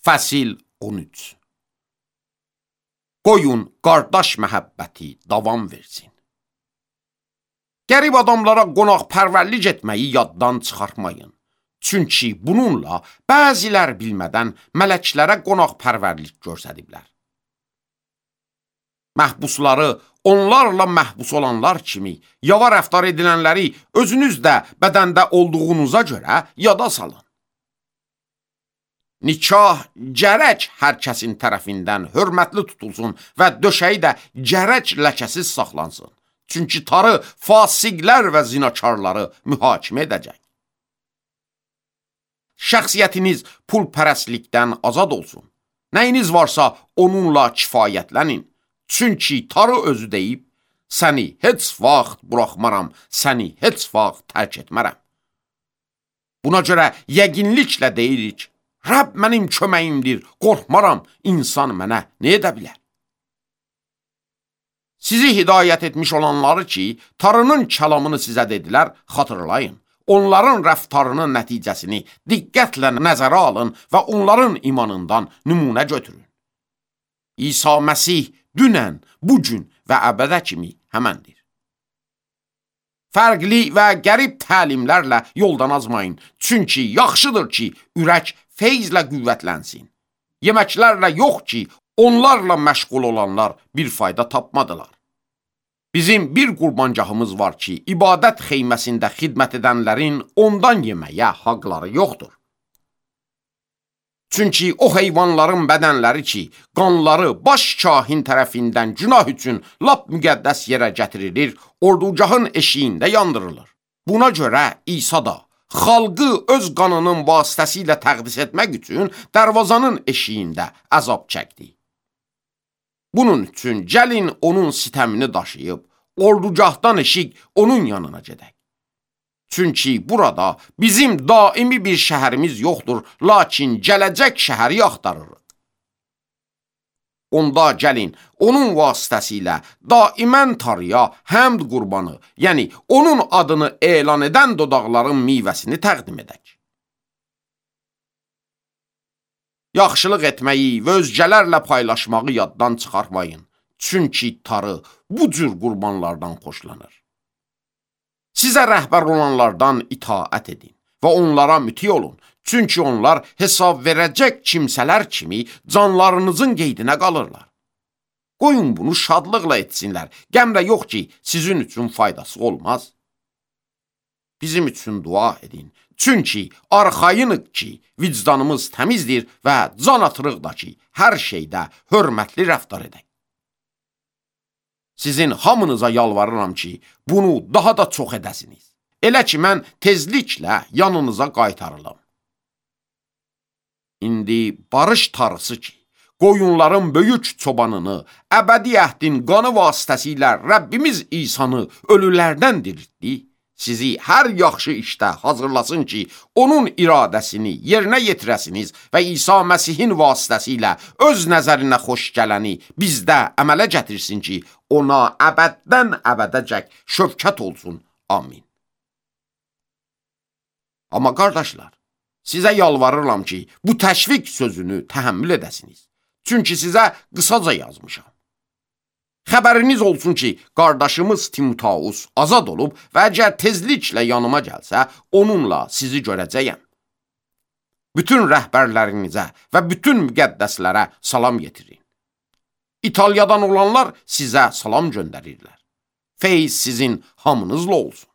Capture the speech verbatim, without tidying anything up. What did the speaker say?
Fəsil on üç. Qoyun qardaş məhəbbəti davam versin. Qərib adamlara qonaqpərvərlik etməyi yaddan çıxartmayın. Çünki bununla bəzilər bilmədən mələklərə qonaqpərvərlik göstəriblər. Məhbusları onlarla məhbus olanlar kimi yava rəftar edilənləri özünüz də bədəndə olduğunuza görə yada salın. Nikah gərək hər kəsin tərəfindən hörmətli tutulsun və döşəyi də gərək ləkəsiz saxlansın. Çünki tarı fasiqlər və zinakarları mühakimə edəcək. Şəxsiyyətiniz pulpərəstlikdən azad olsun. Nəyiniz varsa onunla kifayətlənin. Çünki tarı özü deyib, səni heç vaxt buraxmaram, səni heç vaxt tərk etmərəm. Buna görə yəqinliklə deyirik, Rəbb mənim köməyimdir, qorxmaram, insan mənə nə edə bilər? Sizi hidayət etmiş olanları ki, tarının kəlamını sizə dedilər, xatırlayın. Onların rəftarının nəticəsini diqqətlə nəzərə alın və onların imanından nümunə götürün. İsa Məsih dünən, bugün və əbədə kimi həməndir. Fərqli və qərib təlimlərlə yoldan azmayın. Çünki yaxşıdır ki, ürək feyzlə qüvvətlənsin. Yeməklərlə yox ki, onlarla məşğul olanlar bir fayda tapmadılar. Bizim bir qurbancağımız var ki, ibadət xeyməsində xidmət edənlərin ondan yeməyə haqları yoxdur. Çünki o heyvanların bədənləri ki, qanları baş kahin tərəfindən günah üçün lap müqəddəs yerə gətirilir, ordugahın eşiyində yandırılır. Buna görə İsa da xalqı öz qanının vasitəsilə təqdis etmək üçün dərvazanın eşiyində əzab çəkdi. Bunun üçün gəlin onun sitəmini daşıyıb, ordugahdan eşik onun yanına gedək. Çünki burada bizim daimi bir şəhərimiz yoxdur, lakin gələcək şəhəri axtarırıq. Onda gəlin, onun vasitəsilə daimən tarıya həmd qurbanı, yəni onun adını elan edən dodaqların meyvəsini təqdim edək. Yaxşılıq etməyi və özgələrlə paylaşmağı yaddan çıxartmayın. Çünki tarı bu cür qurbanlardan xoşlanır. Sizə rəhbər olanlardan itaət edin və onlara müti olun. Çünki onlar hesab verəcək kimsələr kimi canlarınızın qeydinə qalırlar. Qoyun bunu şadlıqla etsinlər. Qəmrə yox ki, sizin üçün faydası olmaz. Bizim üçün dua edin. Çünki arxayınıq ki, vicdanımız təmizdir və can atırıq da ki, hər şeydə hörmətli rəftar edək. Sizin hamınıza yalvarıram ki, bunu daha da çox edəsiniz. Elə ki, mən tezliklə yanınıza qaytarılım. İndi barış tarısı ki, qoyunların böyük çobanını, əbədi əhdin qanı vasitəsilə Rəbbimiz İsanı ölülərdən diriltdi, sizi hər yaxşı işdə hazırlasın ki, onun iradəsini yerinə yetirəsiniz və İsa Məsihin vasitəsilə öz nəzərinə xoş gələni bizdə əmələ gətirsin ki, ona əbəddən əbədəcək şövkət olsun. Amin. Amma qardaşlar, sizə yalvarıram ki, bu təşviq sözünü təhəmmül edəsiniz. Çünki sizə qısaca yazmışam. Xəbəriniz olsun ki, qardaşımız Timoteus azad olub və əgər tezliklə yanıma gəlsə, onunla sizi görəcəyəm. Bütün rəhbərlərinizə və bütün müqəddəslərə salam yetirin. İtaliyadan olanlar sizə salam göndərirlər. Feyz sizin hamınızla olsun.